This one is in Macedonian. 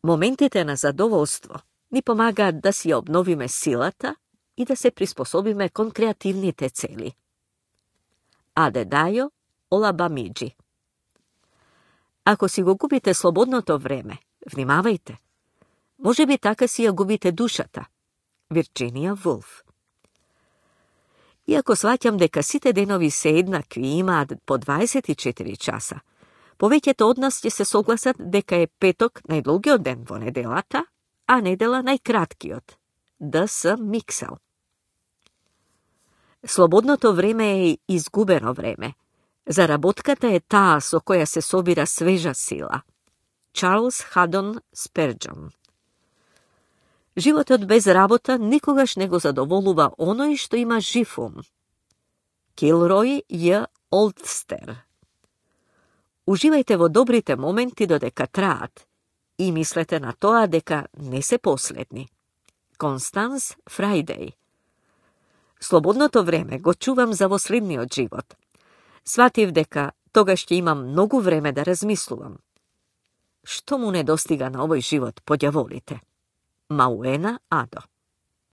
Моментите на задоволство ни помагаат да си обновиме силата и да се приспособиме кон креативните цели. Адедајо Олабамиџи. Ако си го губите слободното време, внимавајте. Може би така си ја губите душата. Вирджинија Вулф. Иако сваќам дека сите денови се еднакви и имаат по 24 часа, повеќето од нас ќе се согласат дека е петок најдолгиот ден во неделата, а недела најкраткиот. Д.С. Миксел. Слободното време е изгубено време. Заработката е таа со која се собира свежа сила. Чарлс Хадон Сперџон. Животот без работа никогаш не го задоволува оној што има жив ум. Килрој Ј. Олдстер. Уживајте во добрите моменти додека траат и мислете на тоа дека не се последни. Констанс Фрајдеј. Слободното време го чувам за во следниот живот. Сватив дека тогаш ќе имам многу време да размислувам. Што му недостига на овој живот, по ѓаволите? Мауена Адо.